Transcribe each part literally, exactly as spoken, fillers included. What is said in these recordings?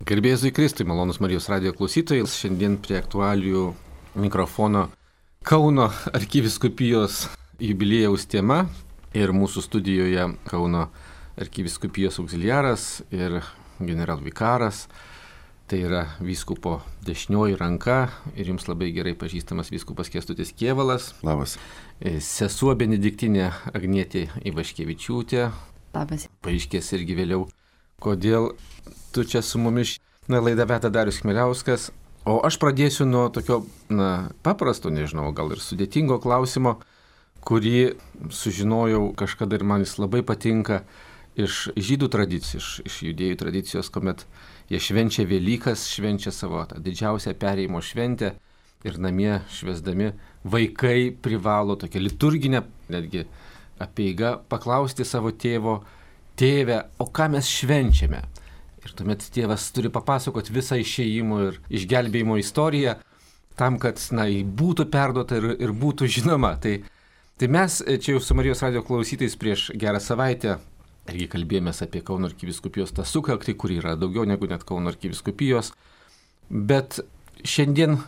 Garbėjus Kristui, malonus Marijos radijo klausytojai, šiandien prie aktualijų mikrofono Kauno arkivyskupijos jubiliejaus tema ir mūsų studijoje Kauno arkivyskupijos auxiliaras ir generalvikaras, tai yra vyskupo dešinioji ranka ir jums labai gerai pažįstamas vyskupas Kęstutis Kėvalas. Labas. Sesuo Benediktinė Agnietė Ivaškevičiūtė. Labas. Paaiškės irgi vėliau, kodėl tu čia su mumis. Na, laidą veda Darius Chmieliauskas, o aš pradėsiu nuo tokio, na, paprasto, nežinau, gal ir sudėtingo klausimo, kurį sužinojau kažkada ir man jis labai patinka iš žydų tradicijos, iš, iš judėjų tradicijos, kuomet jie švenčia Velykas, švenčia savo tą didžiausią perėjimo šventę ir namie švęsdami vaikai privalo tokią liturginę, netgi apeigą, paklausti savo tėvo: tėve, o ką mes švenčiame? Ir tuomet tėvas turi papasakoti visą išėjimo ir išgelbėjimo istoriją tam, kad, na, būtų perduota ir, ir būtų žinoma. Tai, tai mes čia jau su Marijos radijo klausytais prieš gerą savaitę irgi kalbėjomės apie Kauno arkivyskupijos tą sukaktį, kur yra daugiau negu net Kauno arkivyskupijos. Bet šiandien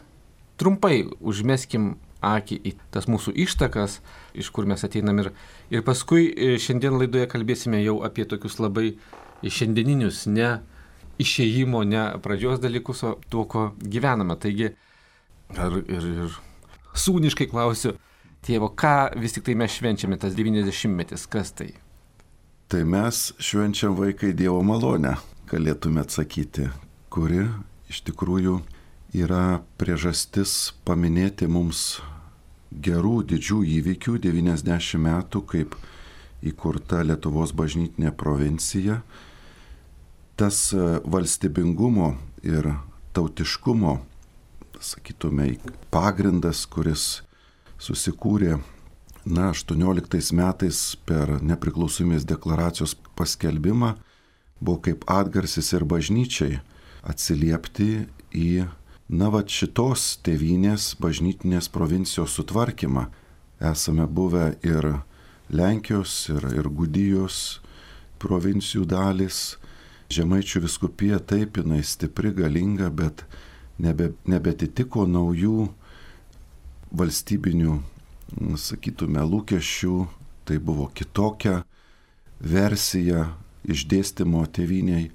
trumpai užmeskim akį į tas mūsų ištakas, iš kur mes ateinam. Ir, ir paskui šiandien laidoje kalbėsime jau apie tokius labai šiandieninius, ne išėjimo, ne pradžios dalykus, o tuo, ko gyvename. Taigi, ir, ir, ir sūniškai klausiu tėvo, ką vis tik tai mes švenčiame, tas devyniasdešimtmetis, kas tai? Tai mes švenčiam vaikai Dievo malonę, galėtume atsakyti, kuri iš tikrųjų yra priežastis paminėti mums gerų, didžių įvykių, devyniasdešimt metų, kaip įkurta Lietuvos bažnytinė provincija. Tas valstybingumo ir tautiškumo, sakytume, pagrindas, kuris susikūrė, na, aštuonioliktais metais per nepriklausomybės deklaracijos paskelbimą, buvo kaip atgarsis ir bažnyčiai atsiliepti į, na, va, šitos tėvynės bažnytinės provincijos sutvarkymą. Esame buvę ir Lenkijos, ir, ir Gudijos provincijų dalis. Žemaičių vyskupija taip, jinai stipri, galinga, bet nebe, nebetitiko naujų valstybinių, sakytume, lūkesčių. Tai buvo kitokia versija išdėstymo tėvyniai.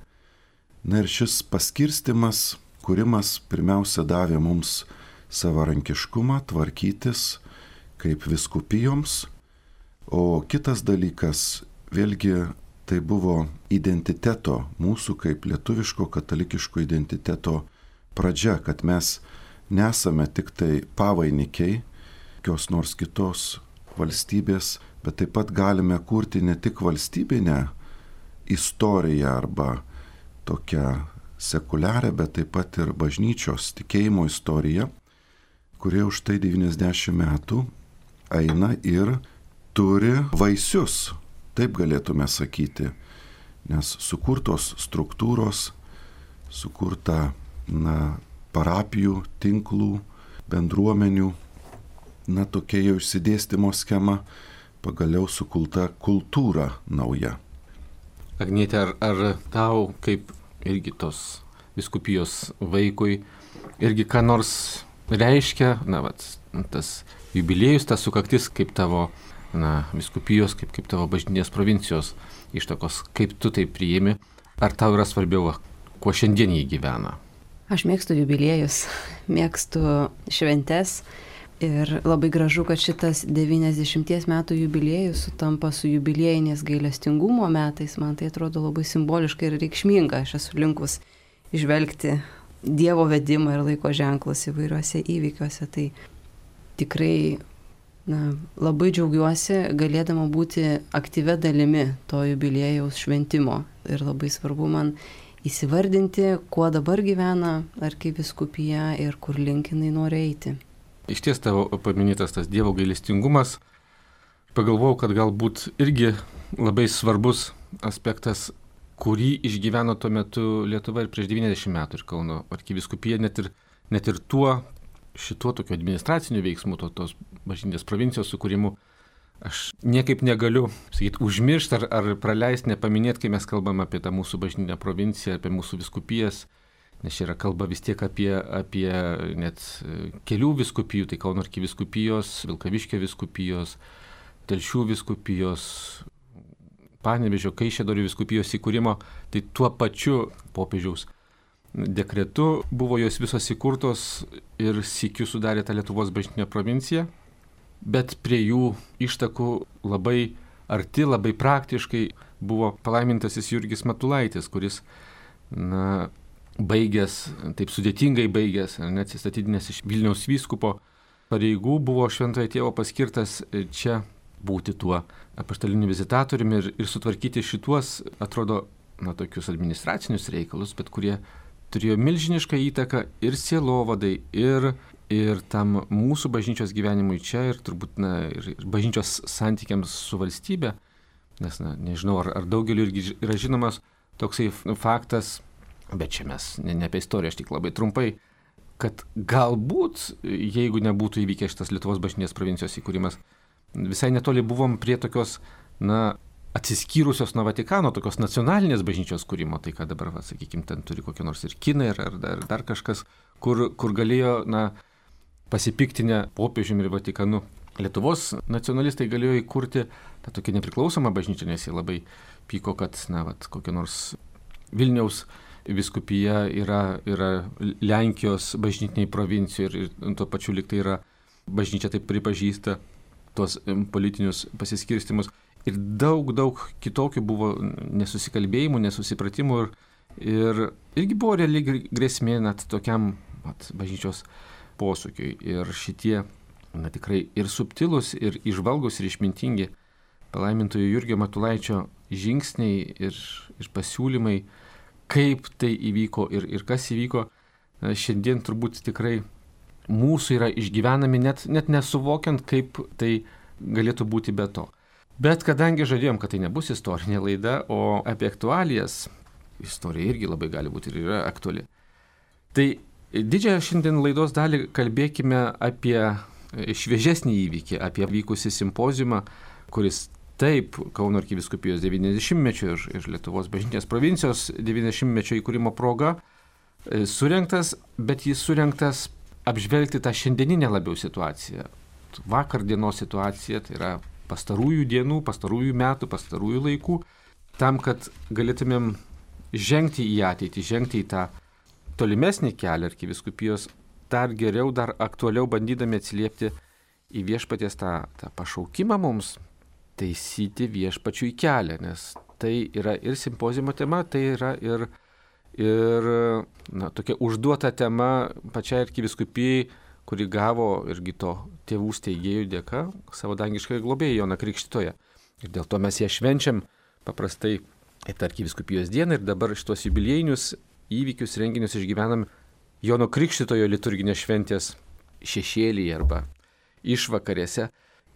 Na ir šis paskirstimas, kūrimas pirmiausia davė mums savarankiškumą tvarkytis kaip vyskupijoms. O kitas dalykas, vėlgi, tai buvo identiteto, mūsų kaip lietuviško katalikiško identiteto pradžia, kad mes nesame tik tai pavainikiai kokios nors kitos valstybės, bet taip pat galime kurti ne tik valstybinę istoriją arba tokią sekuliarę, bet taip pat ir bažnyčios tikėjimo istoriją, kurie už tai devyniasdešimt metų eina ir turi vaisius. Taip galėtume sakyti, nes sukurtos struktūros, sukurta, na, parapijų, tinklų, bendruomenių, na, tokia jau išsidėstymo schema, pagaliau sukurta kultūra nauja. Agnietė, ar, ar tau kaip irgi tos vyskupijos vaikui irgi ką nors reiškia, na, vat, tas jubiliejus, tas sukaktis kaip tavo, na, vyskupijos, kaip, kaip tavo bažnytinės provincijos ištakos, kaip tu tai priimi, ar tau yra svarbiau, kuo šiandien jį gyvena? Aš mėgstu jubiliejus, mėgstu šventes ir labai gražu, kad šitas devyniasdešimties metų jubiliejus sutampa su jubiliejinės gailestingumo metais. Man tai atrodo labai simboliška ir reikšminga. Aš esu linkus įžvelgti Dievo vedimą ir laiko ženklus įvairiuose įvykiuose. Tai tikrai, na, labai džiaugiuosi galėdama būti aktyvia dalimi to jubiliejaus šventimo ir labai svarbu man įsivardinti, kuo dabar gyvena arkivyskupija ir kur link jinai nori eiti. Iš ties tavo paminėtas tas Dievo gailestingumas, pagalvojau, kad galbūt irgi labai svarbus aspektas, kurį išgyveno tuo metu Lietuva ir prieš devyniasdešimt metų ir Kauno arkivyskupija, net ir, net ir tuo šituo tokiu administraciniu veiksmu, to, tos bažnytinės provincijos sukūrimu, aš niekaip negaliu, sakyti, užmiršti ar, ar praleisti, nepaminėti, kai mes kalbam apie tą mūsų bažnytinę provinciją, apie mūsų vyskupijas, nes čia yra kalba vis tiek apie, apie net kelių vyskupijų, tai Kauno arkivyskupijos, Vilkaviškio vyskupijos, Telšių vyskupijos, Panevėžio, Kaišiadorių vyskupijos įkūrimo, tai tuo pačiu popiežiaus dekretu buvo jos visos įkurtos ir sykiu sudarė tą Lietuvos bažnytinę provinciją, bet prie jų ištakų labai arti, labai praktiškai buvo palaimintasis Jurgis Matulaitis, kuris, na, baigęs, taip sudėtingai baigęs, neatsistatydinęs iš Vilniaus vyskupo pareigų, buvo šventojo tėvo paskirtas čia būti tuo apaštaliniu vizitatoriumi ir, ir sutvarkyti šituos, atrodo, na, tokius administracinius reikalus, bet kurie turėjo milžinišką įtaką ir sielovadai, ir, ir tam mūsų bažnyčios gyvenimui čia, ir turbūt, na, ir, ir bažnyčios santykiams su valstybe, nes, na, nežinau, ar, ar daugeliu irgi yra žinomas toksai faktas, bet čia mes ne, ne apie istoriją, aš tik labai trumpai, kad galbūt, jeigu nebūtų įvykęs šitas Lietuvos bažnytinės provincijos įkūrimas, visai netoli buvom prie tokios, na, atsiskyrusios nuo Vatikano, tokios nacionalinės bažnyčios kūrimo, tai ką dabar, va, sakykime, ten turi kokie nors ir kinai, ar, ar dar, dar kažkas, kur, kur galėjo, na, pasipiktinę popiežiumi ir Vatikanu. Lietuvos nacionalistai galėjo įkurti tą tokią nepriklausomą bažnyčią, nes jie labai pyko, kad, na, va, kokia nors Vilniaus vyskupija yra, yra Lenkijos bažnytiniai provincijų ir, ir tuo pačiu lyg tai yra bažnyčia taip pripažįsta tuos politinius pasiskirstimus. Ir daug, daug kitokių buvo nesusikalbėjimų, nesusipratimų ir, ir irgi buvo reali grėsmė net tokiam vat, bažnyčios posūkiui. Ir šitie, na, tikrai ir subtilūs, ir išvalgus, ir išmintingi palaimintojo Jurgio Matulaičio žingsniai ir, ir pasiūlymai, kaip tai įvyko ir, ir kas įvyko, šiandien turbūt tikrai mūsų yra išgyvenami, net, net nesuvokiant, kaip tai galėtų būti be to. Bet kadangi žadėjom, kad tai nebus istorinė laida, o apie aktualijas, istorija irgi labai gali būti ir yra aktuali. Tai didžiąją šiandien laidos dalį kalbėkime apie šviežesnį įvykį, apie vykusį simpoziumą, kuris taip Kauno arkivyskupijos devyniasdešimtmečio ir, ir Lietuvos bažnytinės provincijos devyniasdešimtmečio įkūrimo proga surengtas, bet jis surengtas apžvelgti tą šiandieninę labiau situaciją. Vakar dienos situaciją, tai yra pastarųjų dienų, pastarųjų metų, pastarųjų laikų, tam, kad galėtumėm žengti į ateitį, žengti į tą tolimesnį kelią arkivyskupijos, dar geriau, dar aktualiau bandydami atsiliepti į viešpaties tą, tą pašaukimą mums taisyti viešpačiui kelią, nes tai yra ir simpoziumo tema, tai yra ir, ir na, tokia užduota tema pačiai arkivyskupijai, kuri gavo irgi to tėvų steigėjų dėka savo dangiškąją globėją Joną Krikštytoją. Ir dėl to mes ją švenčiam paprastai arkivyskupijos dieną ir dabar šitos jubiliejinius įvykius, renginius išgyvenam Jono Krikštytojo liturginės šventės šešėlyje arba išvakarėse.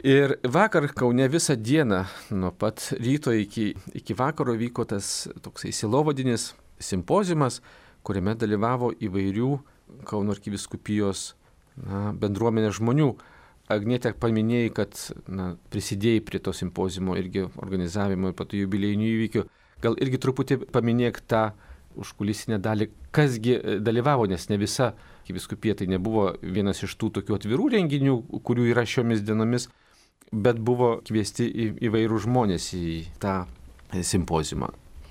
Ir vakar Kaune visą dieną, nuo pat ryto iki, iki vakaro vyko tas toksai sielovadinis simpoziumas, kuriame dalyvavo įvairių Kauno arkivyskupijos na, bendruomenės žmonių. Agnietė paminėjai, kad na, prisidėjai prie to simpoziumo irgi organizavimo ir patų jubiliejinių įvykių. Gal irgi truputį paminėk tą užkulisinę dalį, kasgi dalyvavo, nes ne visa arkivyskupija tai nebuvo vienas iš tų tokių atvirų renginių, kurių yra šiomis dienomis, bet buvo kviesti į, įvairių žmonės į tą simpoziumą.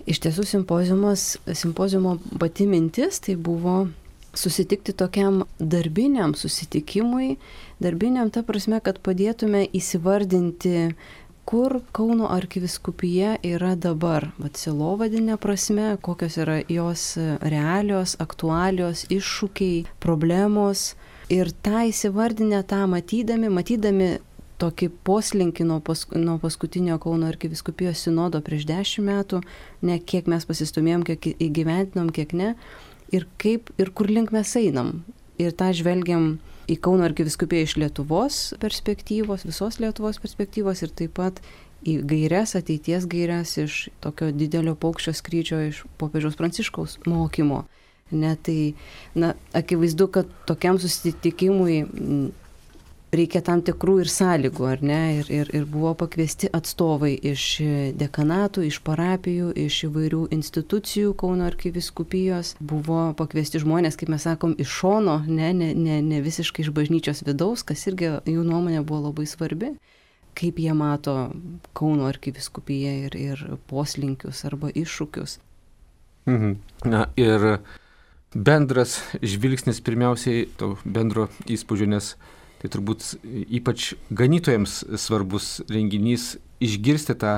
Iš tiesų simpoziumo pati mintis tai buvo susitikti tokiam darbiniam susitikimui, darbiniam ta prasme, kad padėtume įsivardinti, kur Kauno arkivyskupija yra dabar, vat sielovadinė prasme, kokios yra jos realios, aktualios, iššūkiai, problemos. Ir tą įsivardinę, tą matydami, matydami tokį poslinkį nuo, pask nuo paskutinio Kauno arkivyskupijos sinodo prieš dešimt metų, ne kiek mes pasistumėjom, kiek įgyventinom, kiek ne, ir kaip ir kur link mes einam. Ir tą žvelgiam į Kauno arkivyskupiją iš Lietuvos perspektyvos, visos Lietuvos perspektyvos ir taip pat į gaires, ateities gaires iš tokio didelio paukščio skrydžio iš popiežiaus Pranciškaus mokymo. Ne, tai, na, akivaizdu, kad tokiam susitikimui reikia tam tikrų ir sąlygų, ar ne? Ir, ir, ir buvo pakviesti atstovai iš dekanatų, iš parapijų, iš įvairių institucijų Kauno arkivyskupijos. Buvo pakviesti žmonės, kaip mes sakom, iš šono, ne, ne, ne, ne visiškai iš bažnyčios vidaus, kas irgi jų nuomonė buvo labai svarbi. Kaip jie mato Kauno arkivyskupiją ir, ir poslinkius arba iššūkius. Mhm. Na ir bendras žvilgsnis pirmiausiai, to bendro įspūdžio, nes tai turbūt ypač ganytojams svarbus renginys išgirsti tą,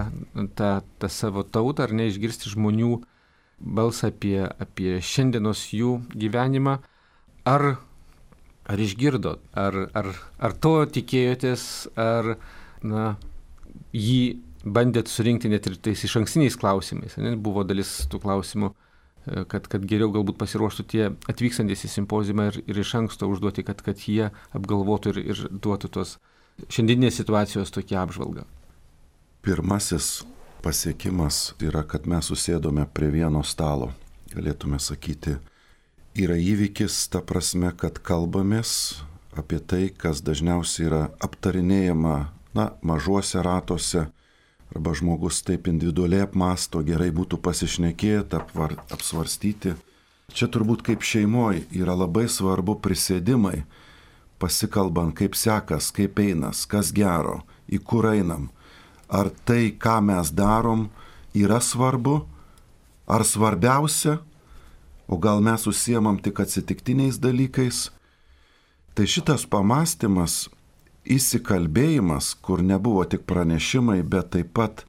tą, tą savo tautą, ar ne, išgirsti žmonių balsą apie, apie šiandienos jų gyvenimą. Ar, ar išgirdot, ar, ar, ar to tikėjotės, ar na, jį bandėt surinkti net ir tais iš ankstiniais klausimais. Ne? Buvo dalis tų klausimų, kad, kad geriau galbūt pasiruoštų tie atvykstantis į simpoziumą ir, ir iš anksto užduoti, kad, kad jie apgalvotų ir, ir duotų tos šiandieninės situacijos tokią apžvalgą. Pirmasis pasiekimas yra, kad mes susėdome prie vieno stalo. Galėtume sakyti, yra įvykis ta prasme, kad kalbamės apie tai, kas dažniausiai yra aptarinėjama na, mažuose ratuose, arba žmogus taip individualiai apmąsto, gerai būtų pasišnekėti, apvar, apsvarstyti. Čia turbūt kaip šeimoje yra labai svarbu prisėdimai, pasikalbant, kaip sekas, kaip einas, kas gero, į kur einam. Ar tai, ką mes darom, yra svarbu, ar svarbiausia, o gal mes užsiemam tik atsitiktiniais dalykais. Tai šitas pamąstymas, įsikalbėjimas, kur nebuvo tik pranešimai, bet taip pat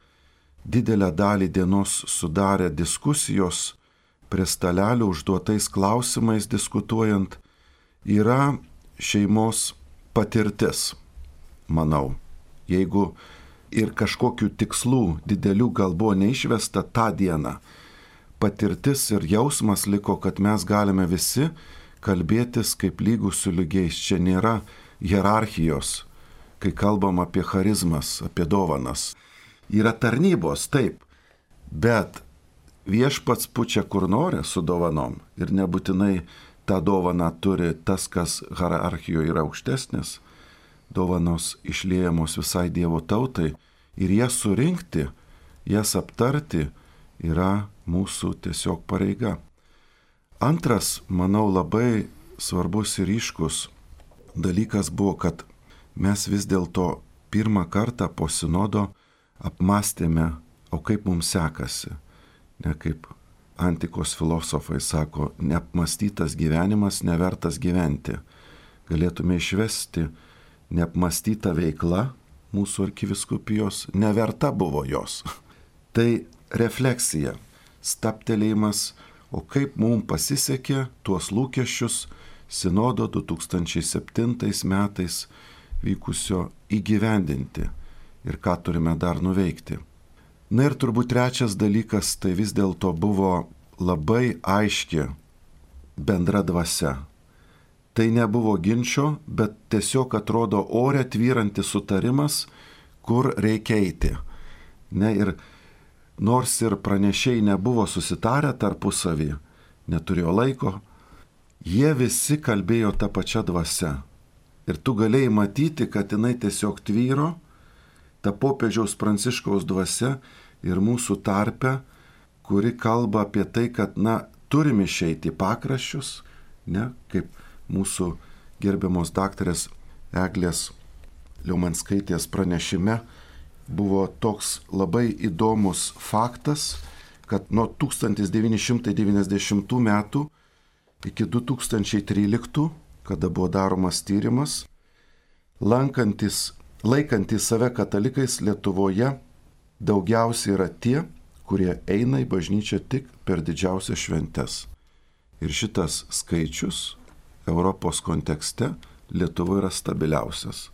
didelę dalį dienos sudarė diskusijos prie stalelių užduotais klausimais diskutuojant, yra šeimos patirtis, manau. Jeigu ir kažkokių tikslų didelių gal buvo neišvesta tą dieną, patirtis ir jausmas liko, kad mes galime visi kalbėtis kaip lygūs su lygiais. Čia nėra hierarchijos, kai kalbam apie charizmas, apie dovanas. Yra tarnybos, taip, bet viešpats pučia kur nori su dovanom ir nebūtinai tą dovaną turi tas, kas hierarchijoje yra aukštesnis. Dovanos išliejamos visai Dievo tautai ir jas surinkti, jas aptarti yra mūsų tiesiog pareiga. Antras, manau, labai svarbus ir ryškus dalykas buvo, kad mes vis dėlto pirmą kartą po sinodo apmąstėme, o kaip mums sekasi. Ne kaip antikos filosofai sako, neapmąstytas gyvenimas nevertas gyventi. Galėtume išvesti neapmąstyta veikla mūsų arkivyskupijos, neverta buvo jos. Tai refleksija, stabtelėjimas, o kaip mums pasisekė tuos lūkesčius sinodo du tūkstančiai septintais metais vykusio įgyvendinti ir ką turime dar nuveikti. Na ir turbūt trečias dalykas, tai vis dėlto buvo labai aiški bendra dvasia. Tai nebuvo ginčio, bet tiesiog atrodo ore tvyrantis sutarimas, kur reikia eiti. Ne, ir nors ir pranešėjai nebuvo susitarę tarpusavį, neturėjo laiko, jie visi kalbėjo tą pačią dvasią. Ir tu galėjai matyti, kad jinai tiesiog tvyro, ta popiežiaus Pranciškaus dvasia ir mūsų tarpe, kuri kalba apie tai, kad, na, turim išeiti į pakraščius, ne, kaip mūsų gerbiamos daktarės Eglės Liaumanskaitės pranešime buvo toks labai įdomus faktas, kad nuo tūkstantis devyni šimtai devyniasdešimtų metų iki du tūkstančiai tryliktų, kada buvo daromas tyrimas, lankantis, laikantys save katalikais Lietuvoje daugiausiai yra tie, kurie eina į bažnyčią tik per didžiausias šventes. Ir šitas skaičius Europos kontekste Lietuvoje yra stabiliausias.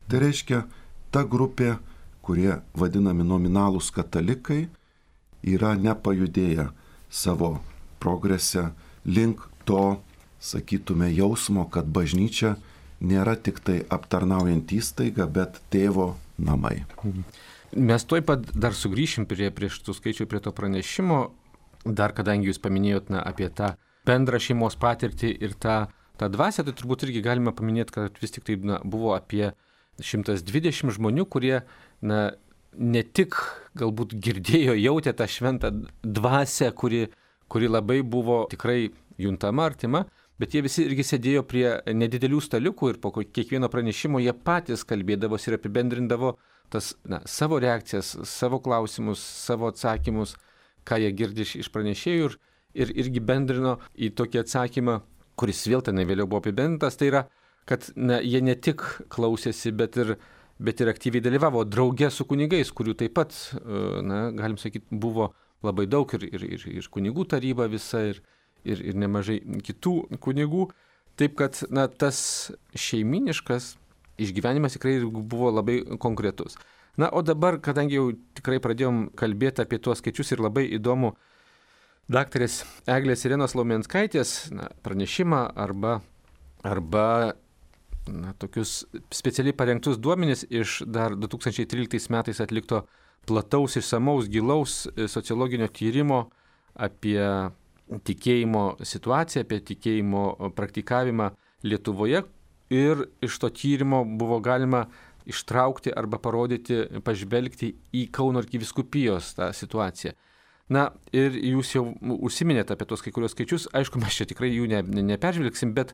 Tai reiškia, ta grupė, kurie vadinami nominalūs katalikai, yra nepajudėję savo progrese link to, sakytume, jausmo, kad bažnyčia nėra tik tai aptarnaujant įstaiga, bet tėvo namai. Mes tuoj pat dar sugrįšim prie, prie šitų skaičių, prie to pranešimo, dar kadangi jūs paminėjot na, apie tą bendrą šeimos patirtį ir tą tą dvasią, tai turbūt irgi galima paminėti, kad vis tik tai na, buvo apie šimtas dvidešimt žmonių, kurie na, ne tik galbūt girdėjo, jautė tą šventą dvasią, kuri, kuri labai buvo tikrai juntama, artima, bet jie visi irgi sėdėjo prie nedidelių staliukų ir po kiekvieno pranešimo jie patys kalbėdavosi ir apibendrindavo tas na, savo reakcijas, savo klausimus, savo atsakymus, ką jie girdi iš, iš pranešėjų ir, ir irgi bendrino į tokį atsakymą, kuris vėl tenai vėliau buvo apibendrintas, tai yra, kad na, jie ne tik klausėsi, bet ir, bet ir aktyviai dalyvavo drauge su kunigais, kurių taip pat, na, galim sakyti, buvo labai daug ir, ir, ir, ir kunigų taryba visa ir Ir, ir nemažai kitų kunigų. Taip kad na, tas šeiminiškas išgyvenimas tikrai buvo labai konkretus. Na, o dabar, kadangi jau tikrai pradėjom kalbėti apie tuos skaičius ir labai įdomu daktarės Eglės Irenos Laumenskaitės na, pranešimą arba, arba na, tokius specialiai parengtus duomenis iš dar du tūkstančiai tryliktais metais atlikto plataus, išsamaus, gilaus sociologinio tyrimo apie tikėjimo situaciją, apie tikėjimo praktikavimą Lietuvoje ir iš to tyrimo buvo galima ištraukti arba parodyti, pažvelgti į Kauno arkivyskupijos tą situaciją. Na ir jūs jau užsiminėte apie tos kai kurios skaičius, aišku, mes čia tikrai jų ne, ne, neperžvelgsim, bet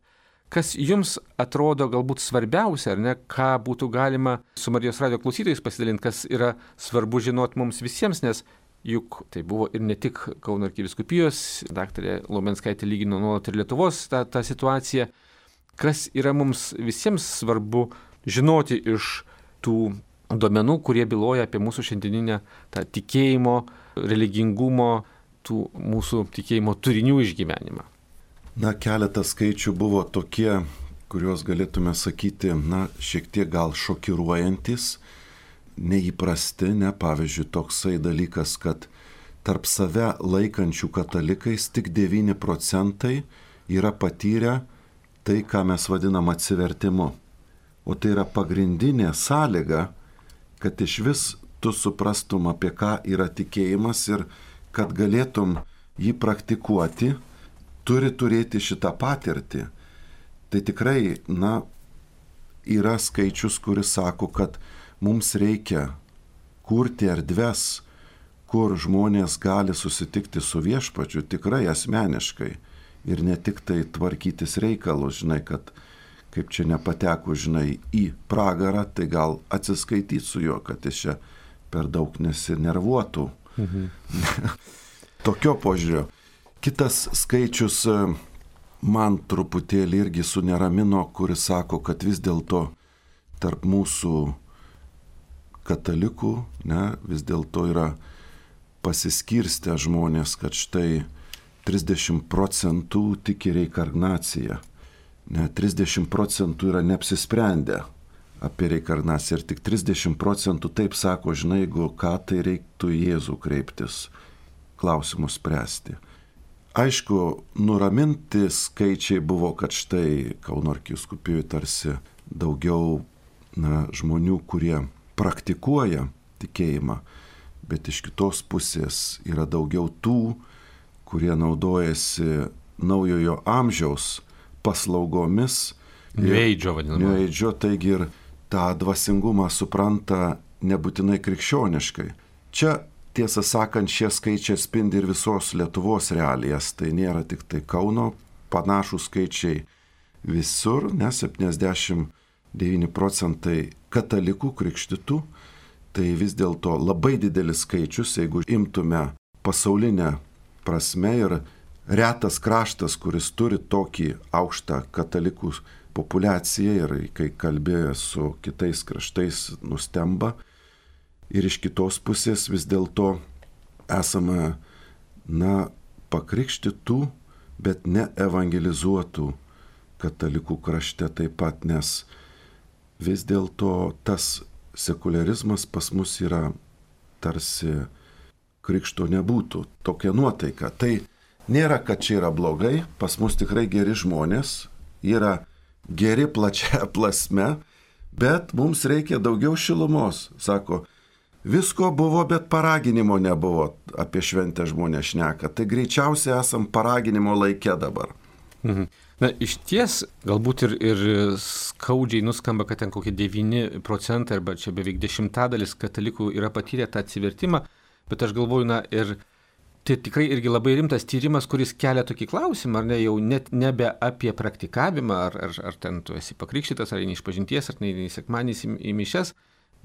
kas jums atrodo galbūt svarbiausia, ar ne, ką būtų galima su Marijos radijo klausytojais pasidalinti, kas yra svarbu žinoti mums visiems, nes juk tai buvo ir ne tik Kauno arkivyskupijos, daktarė Laumenskaitė lygino nuolat ir Lietuvos tą, tą situaciją. Kas yra mums visiems svarbu žinoti iš tų duomenų, kurie byloja apie mūsų šiandieninę tą tikėjimo, religingumo, tų mūsų tikėjimo turinių išgyvenimą? Na, keletas skaičių buvo tokie, kuriuos galėtume sakyti, na, šiek tiek gal šokiruojantis, neįprasti, ne, pavyzdžiui, toksai dalykas, kad tarp save laikančių katalikais tik devyni procentai yra patyrę tai, ką mes vadinam atsivertimu. O tai yra pagrindinė sąlyga, kad iš vis tu suprastum, apie ką yra tikėjimas ir kad galėtum jį praktikuoti, turi turėti šitą patirtį. Tai tikrai, na, yra skaičius, kuris sako, kad mums reikia kurti erdves, kur žmonės gali susitikti su viešpačiu tikrai asmeniškai ir ne tik tai tvarkytis reikalus, žinai, kad kaip čia nepateko, žinai, į pragarą, tai gal atsiskaityti su juo, kad jis čia per daug nesinervuotų. Mhm. Tokio požiūrio. Kitas skaičius man truputėlį irgi suneramino, kuris sako, kad vis dėlto tarp mūsų katalikų, ne, vis dėlto yra pasiskirstę žmonės, kad štai trisdešimt procentų tiki reinkarnaciją, ne, trisdešimt procentų yra neapsisprendę apie reinkarnaciją ir tik trisdešimt procentų taip sako, žinai, jeigu ką, tai reiktų į Jėzų kreiptis, klausimus spręsti. Aišku, nuraminti skaičiai buvo, kad štai Kauno arkivyskupijoje tarsi daugiau na, žmonių, kurie praktikuoja tikėjimą, bet iš kitos pusės yra daugiau tų, kurie naudojasi naujojo amžiaus paslaugomis. New Age vadinama. New Age, taigi ir tą dvasingumą supranta nebūtinai krikščioniškai. Čia, tiesą sakant, šie skaičiai spindi ir visos Lietuvos realijas, tai nėra tik tai Kauno, panašų skaičiai visur, nes septyniasdešimt devyni procentai katalikų krikštytų, tai vis dėlto labai didelis skaičius, jeigu imtume pasaulinę prasme ir retas kraštas, kuris turi tokį aukštą katalikų populiaciją ir kai kalbėjo su kitais kraštais nustemba. Ir iš kitos pusės vis dėlto esame, na, pakrikštytų, bet ne evangelizuotų katalikų krašte taip pat, nes vis dėlto tas sekularizmas pas mus yra tarsi krikšto nebūtų, tokia nuotaika. Tai nėra, kad čia yra blogai, pas mus tikrai geri žmonės, yra geri plačia plasme, bet mums reikia daugiau šilumos, sako. Visko buvo, bet paraginimo nebuvo, apie šventę žmonės šneka. Tai greičiausiai esam paraginimo laike dabar. Mhm. Na, iš ties, galbūt ir, ir skaudžiai nuskamba, kad ten kokie devyni procentai arba čia beveik dešimtadalis katalikų yra patyrę tą atsivertimą, bet aš galvoju, na, ir tai tikrai irgi labai rimtas tyrimas, kuris kelia tokį klausimą, ar ne, jau net nebe apie praktikavimą, ar, ar, ar ten tu esi pakrikštytas, ar eini iš pažinties, ar neini sekmadieniais į, į mišias,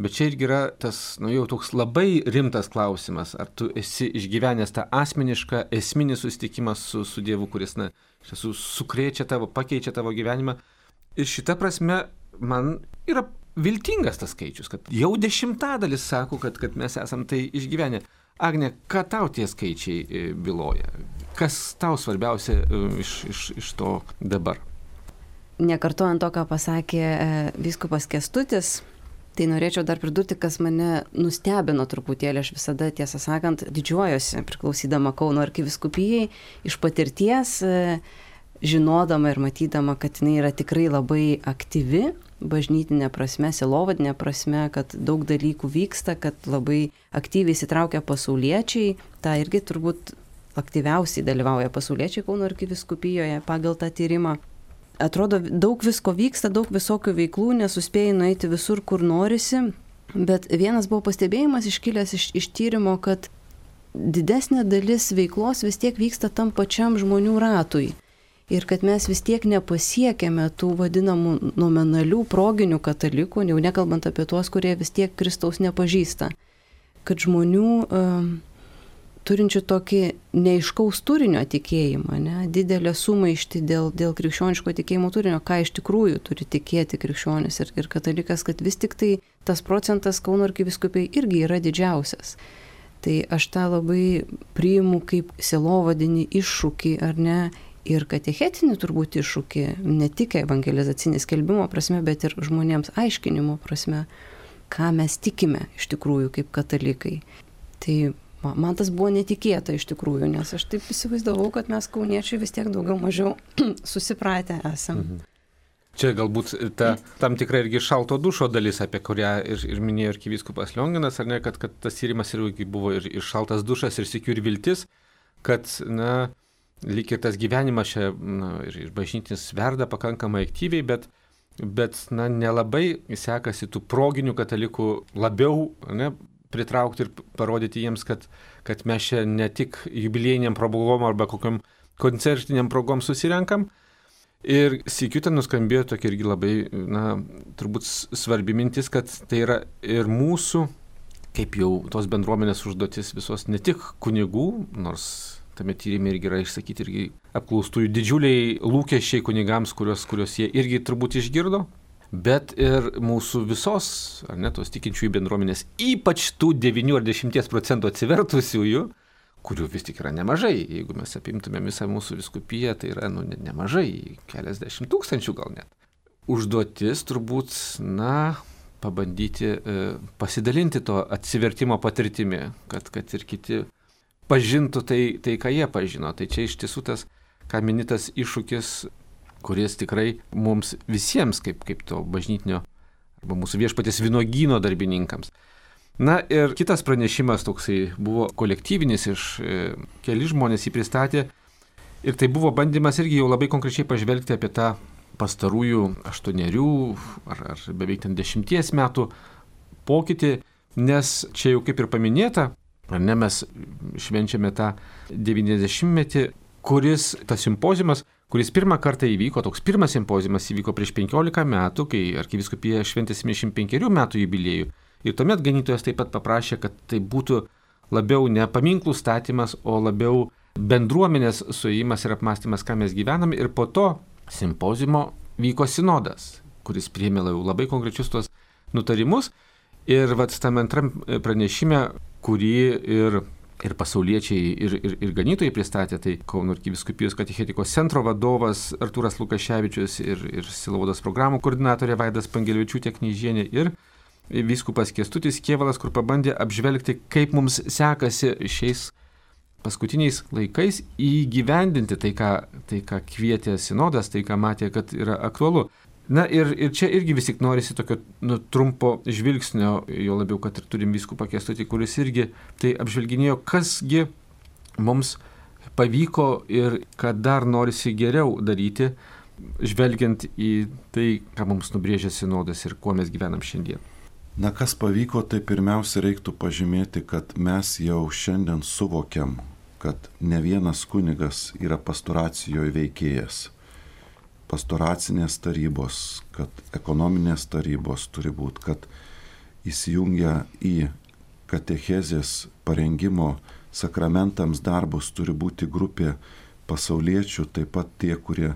bet čia irgi yra tas, nu jau toks labai rimtas klausimas, ar tu esi išgyvenęs tą asmenišką, esminį susitikimą su, su Dievu, kuris, na, iš tiesų sukrečia tavo, pakeičia tavo gyvenimą. Ir šita prasme man yra viltingas tas skaičius, kad jau dešimtadalis sako, kad, kad mes esam tai išgyvenę. Agne, ką tau tie skaičiai byloja? Kas tau svarbiausia iš, iš, iš to dabar? Nekartojant to, ką pasakė vyskupas Kęstutis, tai norėčiau dar pridurti, kas mane nustebino truputėlį. Aš visada, tiesą sakant, didžiuojuosi priklausydama Kauno arkivyskupijai iš patirties, žinodama ir matydama, kad jinai yra tikrai labai aktyvi, bažnytinė prasme, sielovadinė prasme, kad daug dalykų vyksta, kad labai aktyviai įsitraukia pasauliečiai. Ta irgi turbūt aktyviausiai dalyvauja pasauliečiai Kauno arkiviskupijoje pagal tą tyrimą. Atrodo, daug visko vyksta, daug visokių veiklų, nesuspėjai nueiti visur, kur norisi, bet vienas buvo pastebėjimas iškilęs iš, iš tyrimo, kad didesnė dalis veiklos vis tiek vyksta tam pačiam žmonių ratui. Ir kad mes vis tiek nepasiekėme tų vadinamų nominalių proginių katalikų, jau nekalbant apie tuos, kurie vis tiek Kristaus nepažįsta. Kad žmonių uh, turinčių tokį neiškaus turinio tikėjimą, ne, didelę sumaištį dėl, dėl krikščioniško tikėjimo turinio, ką iš tikrųjų turi tikėti krikščionis ir, ir katalikas, kad vis tik tai tas procentas Kauno arkivyskupijai irgi yra didžiausias. Tai aš tą labai priimu kaip sielovadinį iššūkį, ar ne, ir katechetinį turbūt iššūkį, ne tik evangelizacinį skelbimo prasme, bet ir žmonėms aiškinimo prasme, ką mes tikime iš tikrųjų kaip katalikai. Tai man tas buvo netikėta iš tikrųjų, nes aš taip įsivaizdavau, kad mes kauniečiai vis tiek daugiau mažiau susipratę esam. Mhm. Čia galbūt ta tam tikra irgi šalto dušo dalis, apie kurią ir, ir minėjo arkivyskupas Lionginas, ar ne, kad, kad tas tyrimas irgi buvo ir, ir šaltas dušas, ir sykiu ir viltis, kad, na, lyg ir tas gyvenimas čia, na, ir, ir bažnytinis verda pakankamai aktyviai, bet, bet na, nelabai sekasi tų proginių katalikų labiau, ne, pritraukti ir parodyti jiems, kad, kad mes čia ne tik jubiliejiniam progom arba kokiam koncertiniam progom susirenkam. Ir sykiu ten nuskambėjo tokia irgi labai, na, turbūt svarbi mintis, kad tai yra ir mūsų, kaip jau tos bendruomenės užduotis visos, ne tik kunigų, nors tame tyrimė irgi yra išsakyti irgi apklaustųjų didžiuliai lūkesčiai kunigams, kurios, kurios jie irgi turbūt išgirdo, bet ir mūsų visos, ar ne, tos tikinčiųjų bendruomenės, ypač tų devynių ar dešimties procentų atsivertusiųjų, kurių vis tik yra nemažai. Jeigu mes apimtume visą mūsų vyskupiją, tai yra, nu, nemažai, keliasdešimt tūkstančių gal net. Užduotis turbūt, na, pabandyti e, pasidalinti to atsivertimo patirtimi, kad, kad ir kiti pažintų tai, tai, ką jie pažino. Tai čia iš tiesų tas, ką minitas iššūkis, kuris tikrai mums visiems, kaip, kaip to bažnytinio arba mūsų viešpaties vynuogyno darbininkams. Na ir kitas pranešimas toksai buvo kolektyvinis, iš e, keli žmonės jį pristatė ir tai buvo bandymas irgi jau labai konkrečiai pažvelgti apie tą pastarųjų aštuonerių ar, ar beveik ten dešimties metų pokytį, nes čia jau kaip ir paminėta, ar ne, mes švenčiame tą devyniasdešimtmetį, kuris tas simpoziumas, kuris pirmą kartą įvyko, toks pirmas simpoziumas įvyko prieš penkiolika metų, kai arkivyskupija šventė septyniasdešimt penkerių metų jubiliejų. Ir tuomet ganytojas taip pat paprašė, kad tai būtų labiau ne paminklų statymas, o labiau bendruomenės suėjimas ir apmąstymas, ką mes gyvename. Ir po to simpoziumo vyko sinodas, kuris priėmė labai konkrečius tuos nutarimus. Ir vat tam antram pranešime, kurį ir ir pasauliečiai, ir, ir, ir ganytojai pristatė, tai Kauno arkivyskupijos katechetikos centro vadovas Artūras Lukaševičius ir, ir sielovados programų koordinatorė Vaida Spangelevičiūtė Knyžienė ir vyskupas Kęstutis Kėvalas, kur pabandė apžvelgti, kaip mums sekasi šiais paskutiniais laikais įgyvendinti tai, ką, tai, ką kvietė sinodas, tai, ką matė, kad yra aktualu. Na ir, ir čia irgi vis tik norisi tokio, nu, trumpo žvilgsnio, jo labiau, kad ir turim vyskupą Kęstutį, kuris irgi tai apžvelginėjo, kasgi mums pavyko ir kad dar norisi geriau daryti, žvelgiant į tai, ką mums nubrėžė sinodas ir kuo mes gyvenam šiandien. Na, kas pavyko, tai pirmiausia reiktų pažymėti, kad mes jau šiandien suvokiam, kad ne vienas kunigas yra pastoracijoje veikėjas. Pastoracinės tarybos, kad ekonominės tarybos turi būti, kad įsijungia į katechezės parengimo sakramentams darbus turi būti grupė pasauliečių, taip pat tie, kurie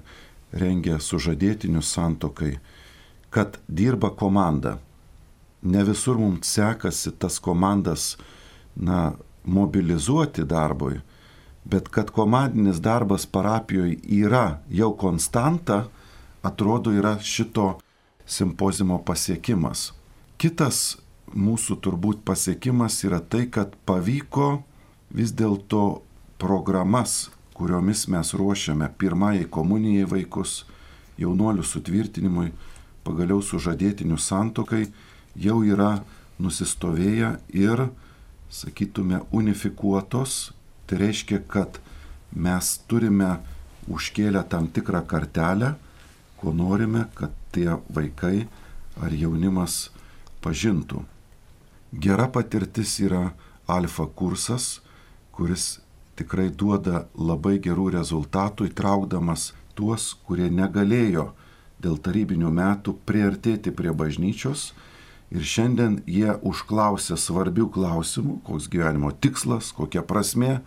rengia sužadėtinius santuokai, kad dirba komanda. Ne visur mums sekasi tas komandas, na, mobilizuoti darbui, bet kad komandinis darbas parapijoje yra jau konstanta, atrodo, yra šito simpozimo pasiekimas. Kitas mūsų turbūt pasiekimas yra tai, kad pavyko vis dėlto programas, kuriomis mes ruošiame pirmajai komunijai vaikus, jaunuolių sutvirtinimui, pagaliau sužadėtinių santuokai, jau yra nusistovėję ir, sakytume, unifikuotos. Tai reiškia, kad mes turime užkėlę tam tikrą kartelę, ko norime, kad tie vaikai ar jaunimas pažintų. Gera patirtis yra alfa kursas, kuris tikrai duoda labai gerų rezultatų, įtraukdamas tuos, kurie negalėjo dėl tarybinių metų priartėti prie bažnyčios. Ir šiandien jie užklausė svarbių klausimų, koks gyvenimo tikslas, kokia prasmė,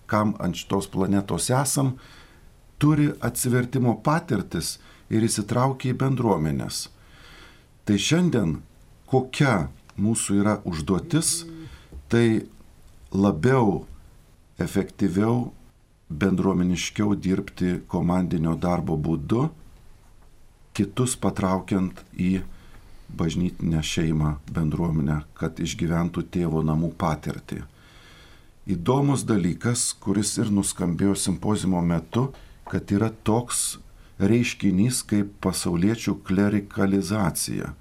kam ant šitos planetos esam, turi atsivertimo patirtis ir įsitraukia į bendruomenės. Tai šiandien kokia mūsų yra užduotis, tai labiau, efektyviau, bendruomeniškiau dirbti komandinio darbo būdu, kitus patraukiant į bažnytinę šeimą, bendruomenę, kad išgyventų tėvo namų patirtį. Įdomus dalykas, kuris ir nuskambėjo simpozimo metu, kad yra toks reiškinys kaip pasauliečių klerikalizacija.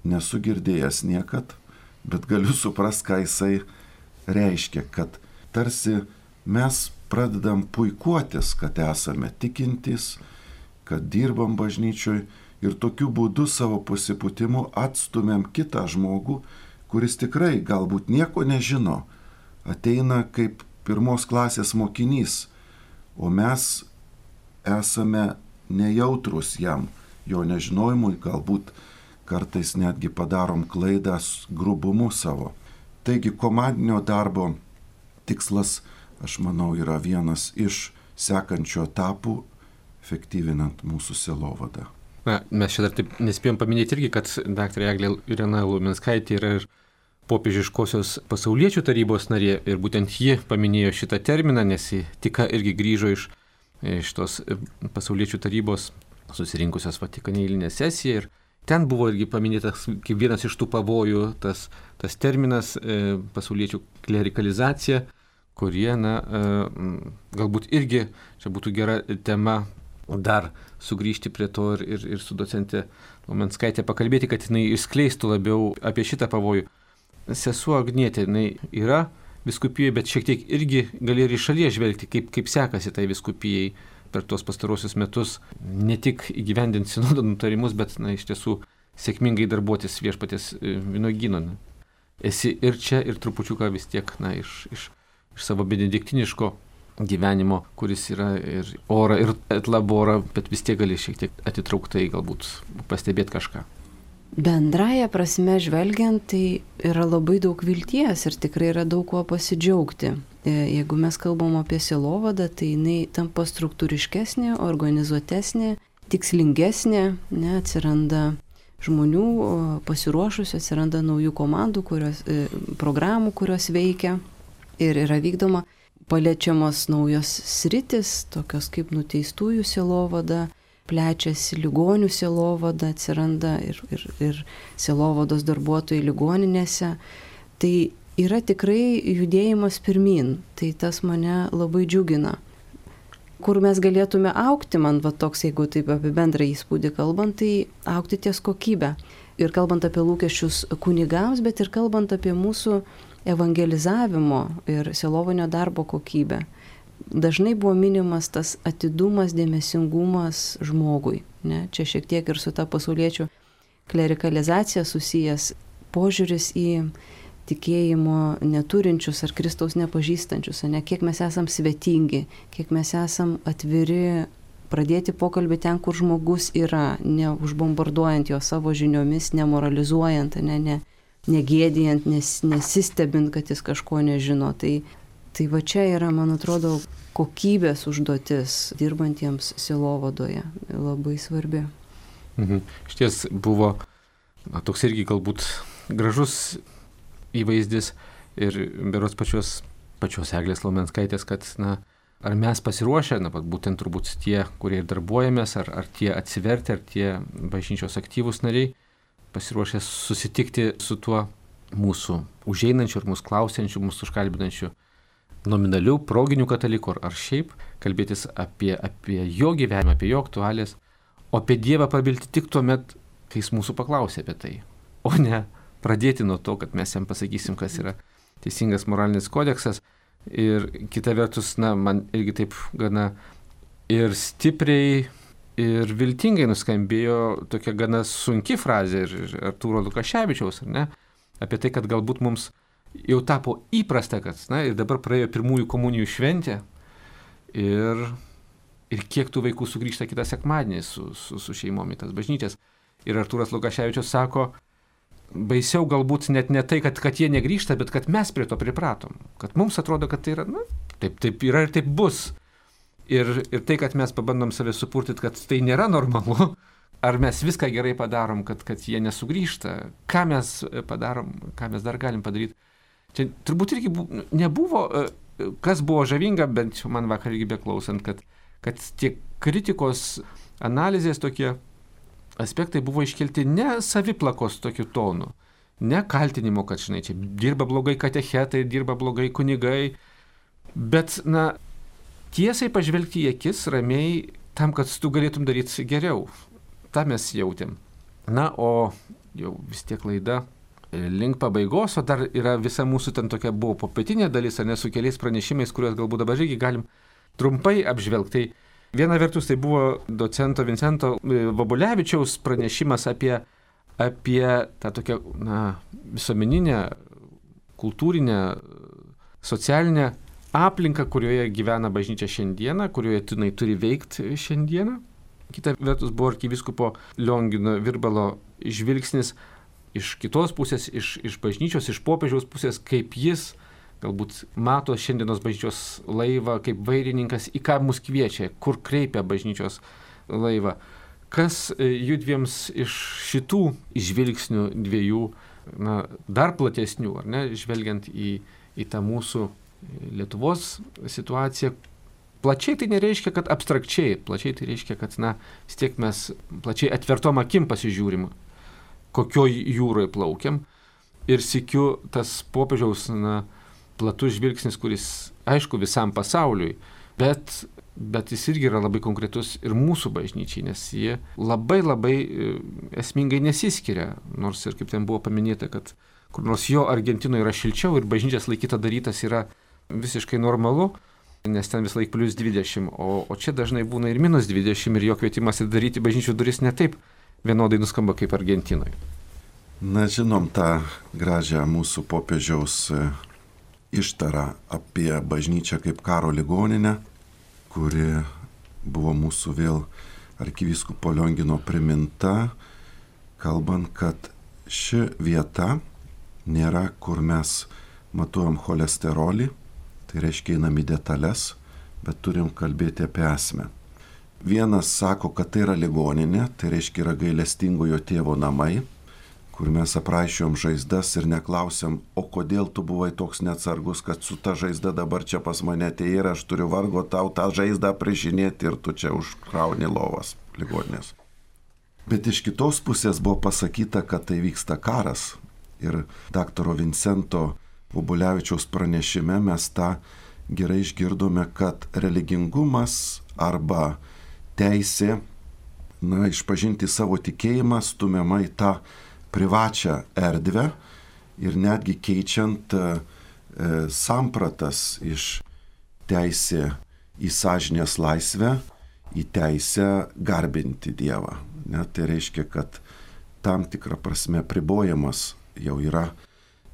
Nesu girdėjęs niekad, bet galiu suprasti, ką jisai reiškia, kad tarsi mes pradedam puikuotis, kad esame tikintys, kad dirbam bažnyčioj, ir tokiu būdu savo pasipūtimu atstumėm kitą žmogų, kuris tikrai galbūt nieko nežino, ateina kaip pirmos klasės mokinys, o mes esame nejautrus jam, jo nežinojimui, galbūt kartais netgi padarom klaidą grubumu savo. Taigi komandinio darbo tikslas, aš manau, yra vienas iš sekančių etapų, efektyvinant mūsų sielovadą. Na, mes čia dar taip nespėjom paminėti irgi, kad daktarė Eglė Irena Luminskaitė yra ir popiežiškosios pasauliečių tarybos narė ir būtent ji paminėjo šitą terminą, nes ji tik irgi grįžo iš, iš tos pasauliečių tarybos susirinkusios Vatikane eilinę sesiją ir ten buvo irgi paminėtas kaip vienas iš tų pavojų tas, tas terminas e, pasauliečių klerikalizacija, kurie, na, e, galbūt irgi čia būtų gera tema dar sugrįžti prie to ir, ir, ir su docente Luminskaitė pakalbėti, kad jinai išskleistų labiau apie šitą pavojų. Sesuo Agnietė, jinai yra viskupijoje, bet šiek tiek irgi gali ir iš šalies žvelgti, kaip, kaip sekasi tai viskupijai per tuos pastarosius metus, ne tik įgyvendinti sinodo nutarimus, bet, na, iš tiesų sėkmingai darbuotis viešpaties vynuogyno. Esi ir čia, ir trupučiuką vis tiek, na, iš, iš, iš savo benediktiniško gyvenimo, kuris yra ir ora, ir etlabora, bet vis tiek gali šiek tiek atitrauktai galbūt pastebėti kažką. Bendraja prasme žvelgiant, tai yra labai daug vilties ir tikrai yra daug kuo pasidžiaugti. Jeigu mes kalbam apie sielovadą, tai jinai tampa struktūriškesnė, organizuotesnė, tikslingesnė, ne, atsiranda žmonių pasiruošusių, atsiranda naujų komandų, kurios, programų, kurios veikia ir yra vykdoma. Paliečiamos naujos sritis, tokios kaip nuteistųjų sielovada, plečiasi ligonių sielovada, atsiranda ir, ir, ir sielovados darbuotojai ligoninėse. Tai yra tikrai judėjimas pirmin, tai tas mane labai džiugina. Kur mes galėtume augti, man va toks, jeigu taip apie bendrą įspūdį kalbant, tai augti ties kokybę. Ir kalbant apie lūkesčius kunigams, bet ir kalbant apie mūsų evangelizavimo ir sielovinio darbo kokybę. dažnai buvo minimas tas atidumas, dėmesingumas žmogui. Ne? Čia šiek tiek ir su ta pasauliečių klerikalizacija susijęs požiūris į tikėjimo neturinčius ar Kristaus nepažįstančius, ne? Kiek mes esam svetingi, kiek mes esam atviri pradėti pokalbį ten, kur žmogus yra, neužbombarduojant jo savo žiniomis, nemoralizuojant, ne, ne, negėdijant, nes, nesistebint, kad jis kažko nežino. Tai, tai va čia yra, man atrodo, kokybės užduotis dirbantiems sielovadoje labai svarbi. Mhm. Šties buvo na, toks irgi galbūt gražus įvaizdis ir beros pačios, pačios Eglės Laumenskaitės, kad na, ar mes pasiruošę, na, būtent turbūt tie, kurie ir darbuojamės, ar, ar tie atsiverti, ar tie bažnyčios aktyvūs nariai, pasiruošę susitikti su tuo mūsų užeinančiu ir mūsų klausiančiu, mūsų užkalbinančiu nominaliu, proginiu kataliku, ar šiaip kalbėtis apie, apie jo gyvenimą, apie jo aktualijas, o apie Dievą prabilti tik tuo met, kai jis mūsų paklausė apie tai, o ne pradėti nuo to, kad mes jam pasakysim, kas yra teisingas moralinis kodeksas. Ir kita vertus, na, man irgi taip gana ir stipriai, ir viltingai nuskambėjo tokia gana sunki frazė ir Artūro Lukaševičiaus, ar ne, apie tai, kad galbūt mums jau tapo įprasta, kad, na, ir dabar praėjo pirmųjų komunijų šventė ir, ir kiek tų vaikų sugrįžta kitą sekmadienį su, su, su šeimom į tas bažnyčias. Ir Artūras Lukaševičius sako, baisiau galbūt net ne tai, kad, kad jie negrįžta, bet kad mes prie to pripratom. Kad mums atrodo, kad tai yra, na, taip, taip yra ir taip bus. Ir, ir tai, kad mes pabandom save supurtyti, kad tai nėra normalu, ar mes viską gerai padarom, kad, kad jie nesugrįžta, ką mes padarom, ką mes dar galim padaryti. Čia turbūt irgi bu, nebuvo, kas buvo žavinga, bent man vakar irgi beklausant, kad, kad tie kritikos analizės tokie aspektai buvo iškelti ne saviplakos tokiu tonu, ne kaltinimo, kad, žinai, čia dirba blogai katechetai, dirba blogai kunigai, bet, na, tiesiai pažvelgti į akis ramiai tam, kad tu galėtum daryti geriau. Ta mes jautėm. Na, o jau vis tiek laida link pabaigos, o dar yra visa mūsų ten tokia buvo popietinė dalis, ar ne, su keliais pranešimais, kuriuos galbūt dabar irgi galim trumpai apžvelgti. Viena vertus tai buvo docento Vincento Vobulevičiaus pranešimas apie, apie tą tokią na, visuomeninę, kultūrinę, socialinę aplinką, kurioje gyvena bažnyčia šiandieną, kurioje jinai turi veikti šiandieną. Kita vertus buvo arkivyskupo Liongino Virbalo žvilgsnis iš kitos pusės, iš, iš bažnyčios, iš popiežiaus pusės, kaip jis galbūt mato šiandienos bažnyčios laivą kaip vairininkas, į ką mus kviečia, kur kreipia bažnyčios laivą. Kas judviems iš šitų žvilgsnių dviejų, na, dar platesnių, ar ne, žvelgiant į, į tą mūsų Lietuvos situaciją, plačiai tai nereiškia, kad abstrakčiai, plačiai tai reiškia, kad, na, vis tiek mes plačiai atvertom akim pasižiūrim, kokioj jūroje plaukiam. Ir sykiu tas popiežiaus, na, platus žvilgsnis, kuris, aišku, visam pasauliui, bet, bet jis irgi yra labai konkretus ir mūsų bažnyčiai, nes jie labai labai esmingai nesiskiria, nors ir kaip ten buvo paminėta, kad kur nors jo Argentinoje yra šilčiau ir bažnyčias laikyta darytas yra visiškai normalu, nes ten vis laik plius dvidešimt, o, o čia dažnai būna ir minus dvidešimt ir jo kvietimas daryti bažnyčių duris ne taip vienodai nuskamba kaip Argentinoje. Na, žinom tą gražią mūsų popiežiaus ištarą apie bažnyčią kaip karo ligoninę, kuri buvo mūsų vėl arkivyskupo Liongino priminta, kalbant, kad ši vieta nėra, kur mes matuojam cholesterolį, tai reiškia einam į detalės, bet turim kalbėti apie esmę. Vienas sako, kad tai yra ligoninė, tai reiškia yra gailestingojo tėvo namai, kur mes apraiščiom žaizdas ir neklausiam, o kodėl tu buvai toks neatsargus, kad su ta žaizda dabar čia pas mane atėjai ir aš turiu vargo tau tą žaizdą prižinėti ir tu čia užkrauni lovas ligoninės. Bet iš kitos pusės buvo pasakyta, kad tai vyksta karas. Ir daktaro Vincento Vobulevičiaus pranešime mes tą gerai išgirdome, kad religingumas arba teisė, na, išpažinti savo tikėjimą stumiama į tą privačią erdvę ir netgi keičiant e, sampratas iš teisė į sąžinės laisvę, į teisę garbinti Dievą. Ne? Tai reiškia, kad tam tikrą prasme pribojamas jau yra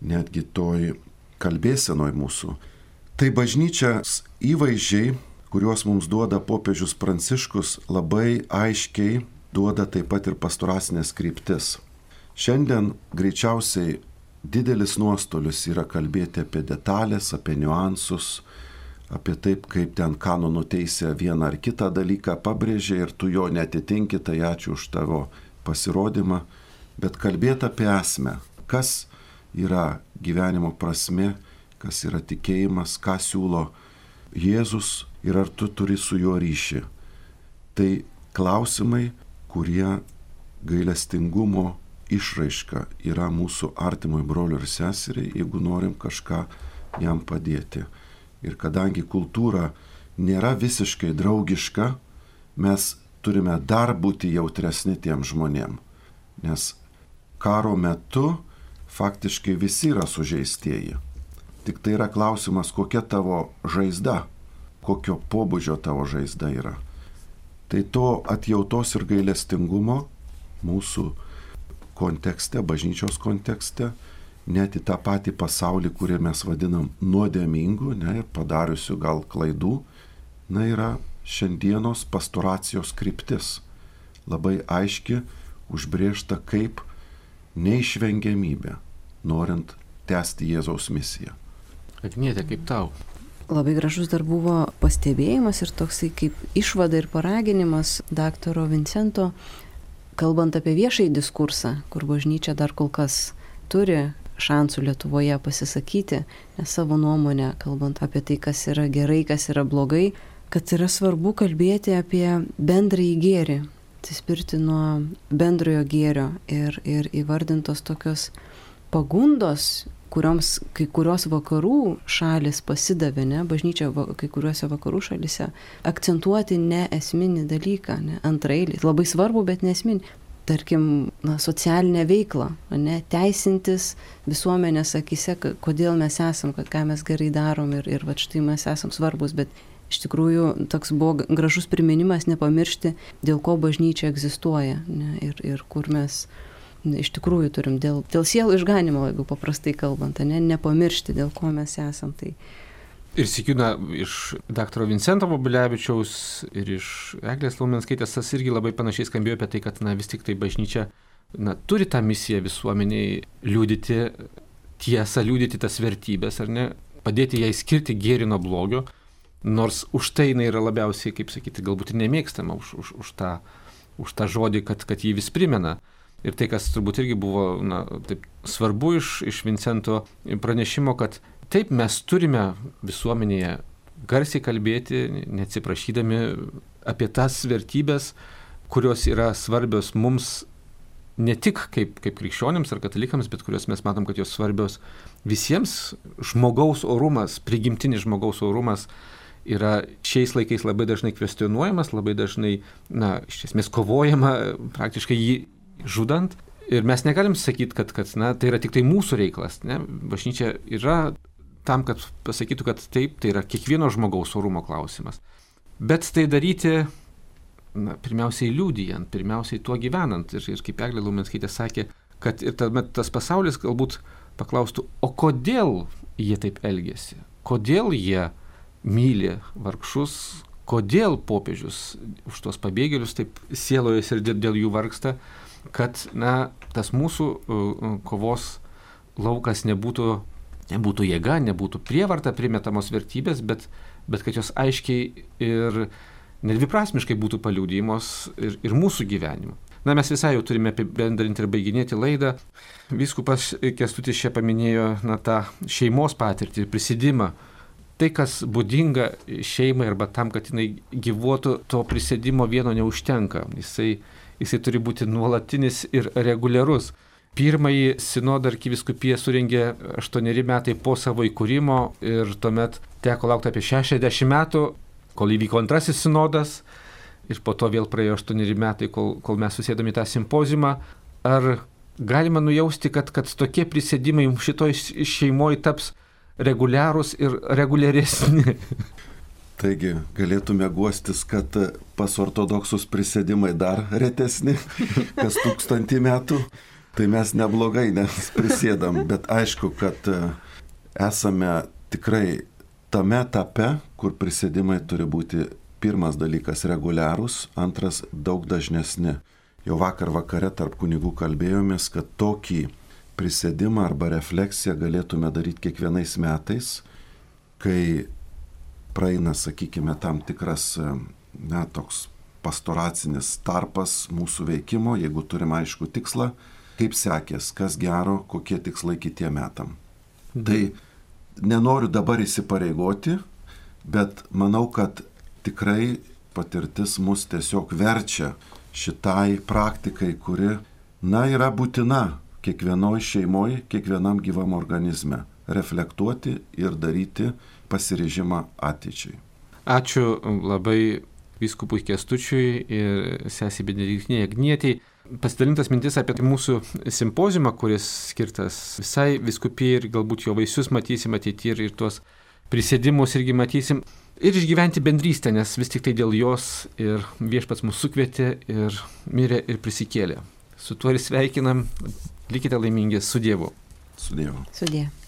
netgi toj kalbėsenoj mūsų. Tai bažnyčios įvaizdžiai, kuriuos mums duoda popiežius Pranciškus, labai aiškiai duoda taip pat ir pastoracinės kryptis. Šiandien greičiausiai didelis nuostolis yra kalbėti apie detalės, apie niuansus, apie taip, kaip ten kanonų teisė vieną ar kitą dalyką pabrėžė ir tu jo netitinki, tai ačiū už tavo pasirodymą, bet kalbėti apie esmę, kas yra gyvenimo prasmė, kas yra tikėjimas, ką siūlo Jėzus ir ar tu turi su juo ryšį. Tai klausimai, kurie gailestingumo išraiška yra mūsų artimui broliui ir seseriai, jeigu norim kažką jam padėti. Ir kadangi kultūra nėra visiškai draugiška, mes turime dar būti jautresni tiem žmonėm. Nes karo metu faktiškai visi yra sužeistieji. Tik tai yra klausimas, kokia tavo žaizda, kokio pobūdžio tavo žaizda yra. Tai to atjautos ir gailestingumo mūsų kontekste, bažnyčios kontekste, net į tą patį pasaulį, kurį mes vadinam nuodėmingu, ne, ir padariusiu gal klaidų, na, yra šiandienos pastoracijos kryptis. Labai aiški, užbrėžta kaip neišvengiamybė, norint tęsti Jėzaus misiją. Agnietė, kaip tau? Labai gražus dar buvo pastebėjimas ir toksai kaip išvada ir paraginimas daktaro Vincento, kalbant apie viešąjį diskursą, kur bažnyčia dar kol kas turi šansų Lietuvoje pasisakyti, nes savo nuomonę, kalbant apie tai, kas yra gerai, kas yra blogai, kad yra svarbu kalbėti apie bendrąjį gėrį, atsispirti nuo bendrojo gėrio ir, ir įvardintos tokios pagundos, kurioms kai kurios vakarų šalis pasidavė, ne, bažnyčia va, kai kuriuose vakarų šalise, akcentuoti ne esminį dalyką, ne, antraeilį, labai svarbu, bet ne esminį. Tarkim, na, socialinę veiklą, ne, teisintis visuomenės akise, kodėl mes esam, kad ką mes gerai darom ir, ir va štai mes esam svarbus, bet iš tikrųjų toks buvo gražus priminimas nepamiršti, dėl ko bažnyčia egzistuoja, ne, ir, ir kur mes ne, iš tikrųjų turim dėl, dėl sielų išganimo, jeigu paprastai kalbant, ne, nepamiršti, dėl ko mes esam. Tai ir sikina iš daktaro Vincento Vobulevičiaus ir iš Eglės Laumenskaitės tas irgi labai panašiai skambėjo apie tai, kad na, vis tik tai bažnyčia na, turi tą misiją visuomeniai liudyti tiesą, liudyti tas vertybės, ar ne, padėti jai skirti gėrį nuo blogio, nors už tai jinai yra labiausiai, kaip sakyti, galbūt ir nemėgstama, už, už, už, tą, už tą žodį, kad, kad jį vis primena. Ir tai, kas turbūt irgi buvo na, taip, svarbu iš, iš Vincento pranešimo, kad taip, mes turime visuomenėje garsiai kalbėti, neatsiprašydami apie tas vertybės, kurios yra svarbios mums ne tik kaip, kaip krikščionims ar katalikams, bet kurios mes matom, kad jos svarbios visiems. Žmogaus orumas, prigimtinis žmogaus orumas yra šiais laikais labai dažnai kvestionuojamas, labai dažnai, na, iš esmės kovojama, praktiškai jį žudant. Ir mes negalim sakyti, kad, kad na, tai yra tik tai mūsų reikalas. Ne? Bažnyčia yra tam, kad pasakytų, kad taip, tai yra kiekvieno žmogaus orumo klausimas. Bet tai daryti, na, pirmiausiai liudijant, pirmiausiai tuo gyvenant. Ir, ir kaip Eglė Laumenskaitė sakė, kad ir tuomet tas pasaulis galbūt paklaustų, o kodėl jie taip elgiasi? Kodėl jie myli vargšus? Kodėl popiežius už tuos pabėgėlius taip sielojasi ir dėl jų vargsta? Kad, na, tas mūsų uh, kovos laukas nebūtų nebūtų jėga, nebūtų prievarta primetamos vertybės, bet, bet kad jos aiškiai ir nedviprasmiškai būtų paliudijimos ir, ir mūsų gyvenimu. Na, mes visai jau turime apibendrinti ir baiginėti laidą. Vyskupas Kęstutis čia paminėjo na, tą šeimos patirtį ir prisidimą. Tai, kas būdinga šeimai arba tam, kad jinai gyvuotų, to prisidimo vieno neužtenka. Jisai, jisai turi būti nuolatinis ir reguliarus. Pirmąjį sinodą arkivyskupija surengė aštuoneri metai po savo įkūrimo ir tuomet teko laukti apie šešiasdešimt metų, kol įvyko antrasis sinodas ir po to vėl praėjo aštuoneri metai, kol, kol mes susėdome į tą simpoziumą. Ar galima nujausti, kad, kad tokie prisėdimai šitoj šeimoje taps reguliarūs ir reguliaresni? Taigi galėtume guostis, kad pas ortodoksus prisėdimai dar retesni, kas tūkstantį metų. Tai mes neblogai nes prisėdam, bet aišku, kad esame tikrai tame etape, kur prisėdimai turi būti pirmas dalykas reguliarūs, antras daug dažnesni. Jau vakar vakare tarp kunigų kalbėjomės, kad tokį prisėdimą arba refleksiją galėtume daryti kiekvienais metais, kai praeina, sakykime, tam tikras, na, toks pastoracinis tarpas mūsų veikimo, jeigu turim aišku tikslą, kaip sekės, kas gero, kokie tikslai kitiem metam. Mhm. Tai nenoriu dabar įsipareigoti, bet manau, kad tikrai patirtis mus tiesiog verčia šitai praktikai, kuri, na, yra būtina kiekvienoj šeimoj, kiekvienam gyvam organizme. Reflektuoti ir daryti pasiryžimą ateičiai. Ačiū labai vyskupui Kęstučiui ir sesei Benediktinei Agnietei. Pasidalintas mintis apie mūsų simpoziumą, kuris skirtas visai vyskupijai ir galbūt jo vaisius matysim ateityje ir, ir tuos prisėdimus irgi matysim. Ir išgyventi bendrystę, nes vis tik tai dėl jos ir viešpats mūsų sukvietė ir mirė ir prisikėlė. Su tuo ir sveikinam, likite laimingi, su Dievu. Su Dievu. Su Dievu.